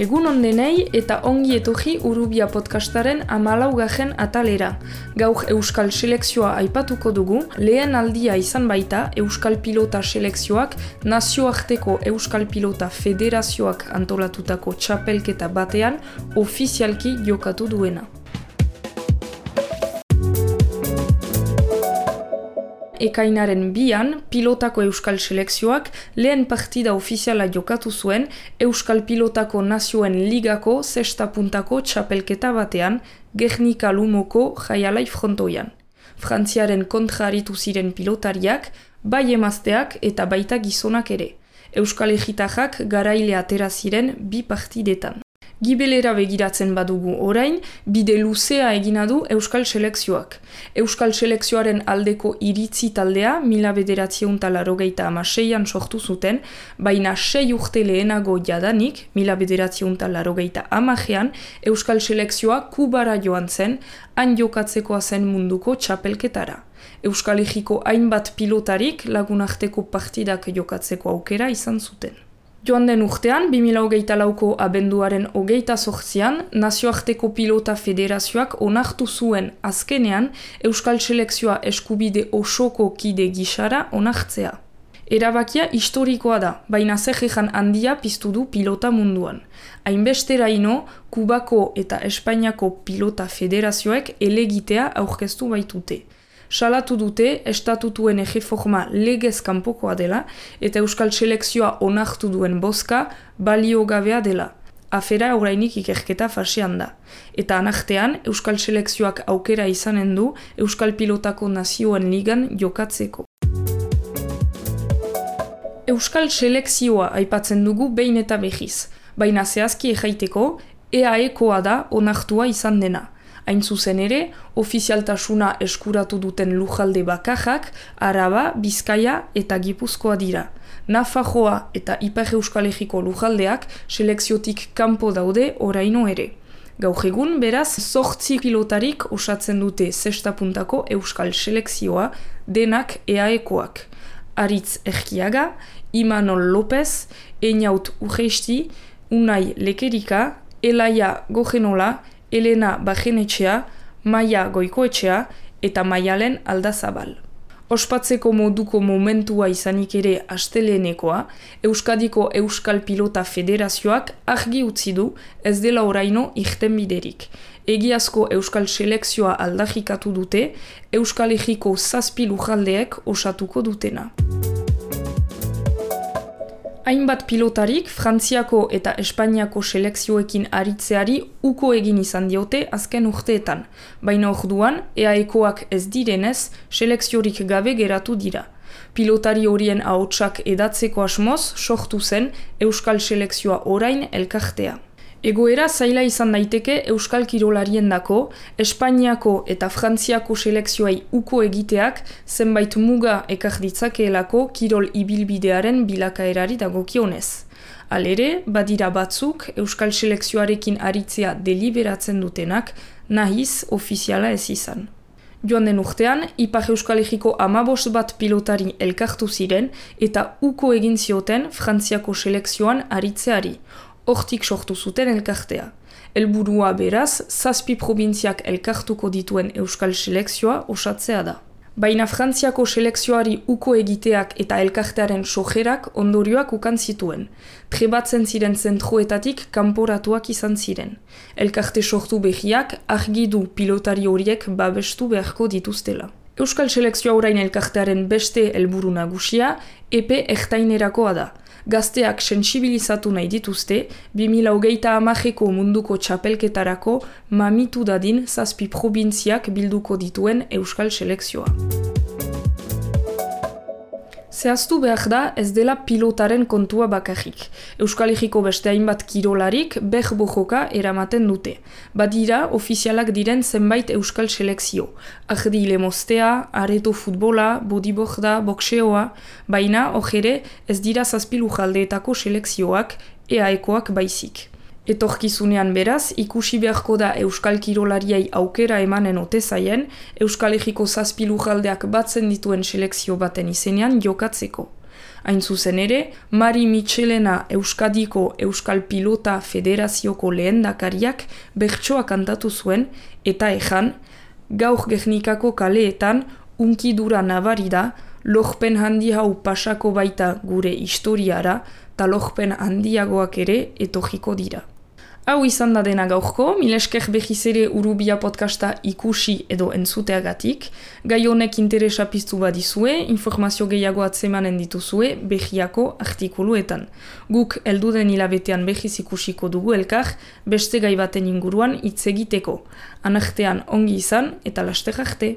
Egun ondenei eta ongi etorri Urrubia podcastaren 14. atalera. Gaur Euskal Selekzioa aipatuko dugu, lehen aldia izan baita Euskal Pilota Selekzioak nazioarteko Euskal Pilota Federazioak antolatutako txapelketa batean ofizialki jokatu duena. Ekainaren 2an, pilotako Euskal Selekzioak lehen partida ofiziala jokatu zuen Euskal Pilotako Nazioen Ligako 6. puntako txapelketa batean Gernika-Lumoko Jaialai frontoian. Frantziaren kontra aritu ziren pilotariak, bai emazteak eta baita gizonak ere. Euskal Egitajak garaile atera ziren 2 partidetan. Gibelera begiratzen badugu orain, bide luzea egina du Euskal Selekzioak. Euskal Selekzioaren aldeko iritzi taldea 1986an sortu zuten, baina 6 urte lehenago jadanik, 1980an, Euskal Selekzioa Kubara joan zen, han jokatzekoa zen munduko txapelketara. Euskal Herriko hainbat pilotarik lagunarteko partidak jokatzeko aukera izan zuten. Joan den urtean, 2024ko abenduaren 28an, Nazioarteko Pilota Federazioak onartu zuen azkenean Euskal Selekzioa eskubide osoko kide gisara onartzea. Erabakia historikoa da, baina zejejan handia piztu du pilota munduan. Hainbesteraino, Kubako eta Espainiako Pilota Federazioek elegitea aurkeztu baitute. Salatu dute estatutuen erreforma legez kanpokoa dela eta Euskal Selekzioa onartu duen bozka baliogabea dela. Afera orainik ikerketa fasean da. Eta anartean Euskal Selekzioak aukera izanen du Euskal Pilotako Nazioen Ligan jokatzeko. Euskal Selekzioa aipatzen dugu behin eta behiz, baina zehazki erraiteko EAEkoa da onartua izan dena. Hain zuzen ere, ofizialtasuna eskuratu duten lujalde bakarrak, Araba, Bizkaia eta Gipuzkoa dira. Nafarroa eta Ipar Euskal Herriko lujaldeak selekziotik kanpo daude oraino ere. Gaur egun, beraz, 8 pilotarik osatzen dute 6. puntako Euskal Selekzioa, denak EAEkoak. Aritz Erkiaga, Imanol López, Einaut Urreisti, Unai Lekerika, Elaia Gogenola, Elena Bajenetxea, Maia Goikoetxea eta Maialen Aldazabal. Ospatzeko moduko momentua izanik ere astelehenekoa, Euskadiko Euskal Pilota Federazioak argi utzi du ez dela oraino irtenbiderik. Egiazko Euskal Selekzioa aldarrikatu dute, Euskal Herriko 7 lujaldeek osatuko dutena. Hainbat pilotarik Frantziako eta Espainiako selekzioekin aritzeari uko egin izan diote azken urteetan, baina orduan EAEkoak ez direnez selekziorik gabe geratu dira. Pilotari horien ahotsak edatzeko asmoz sortu zen Euskal Selekzioa orain elkartea. Egoera zaila izan daiteke Euskal Kirolariendako, Espainiako eta Frantziako selekzioei uko egiteak zenbait muga ekar ditzakeelako kirol ibilbidearen bilakaerari dagokionez. Halere, badira batzuk Euskal Selekzioarekin aritzea deliberatzen dutenak, nahiz ofiziala ez izan. Joan den urtean, Ipar Euskal Herriko 15 bat pilotari elkartu ziren eta uko egin zioten Frantziako selekzioan aritzeari. Hortik sortu zuten elkartea. Helburua beraz, 7 probintziak elkartuko dituen Euskal Selekzioa osatzea da. Baina Frantziako selekzioari uko egiteak eta elkartearen sojerak ondorioak ukan zituen. Trebatzen ziren zentroetatik kanporatuak izan ziren. Elkarte sortu behiak argi du pilotari horiek babestu beharko dituztela. Euskal Selekzioa orain elkartearen beste helburu nagusia epe ertainerakoa da. Gazteak sentsibilizatu nahi dituzte, 2030ko munduko txapelketarako mamitu dadin 7 probintziak bilduko dituen Euskal Selekzioa. Zehaztu behar da ez dela pilotaren kontua bakarrik. Euskal Herriko beste hainbat kirolarik berbojoka eramaten dute. Badira ofizialak diren zenbait Euskal Selekzio. Ardi lemostea, areto futbola, bodyboarda, boxeoa, baina ere ez dira 7 lujaldeetako selekzioak, EAEkoak baizik. Etorkizunean beraz, ikusi beharko da Euskal Kirolariei aukera emanen ote zaien, Euskal Herriko 7 lujaldeak batzen dituen selekzio baten izenean jokatzeko. Hain zuzen ere, Mari Michelena Euskadiko Euskal Pilota Federazioko lehendakariak bertsoa kantatu zuen, eta ejan, gaur Gernikako kaleetan unkidura nabari da, lorpen handi hau pasako baita gure historiara, eta lorpen handiagoak ere etorriko dira. Hau izan da dena gaurko, mil esker behiz ere Urubia podcasta ikusi edo entzuteagatik. Gai honek interesa piztu badizue, informazio gehiago atzemanen dituzue behiako artikuluetan. Guk elduden hilabetean behiz ikusiko dugu elkar, beste gai baten inguruan hitz egiteko. Anartean ongi izan eta laster arte.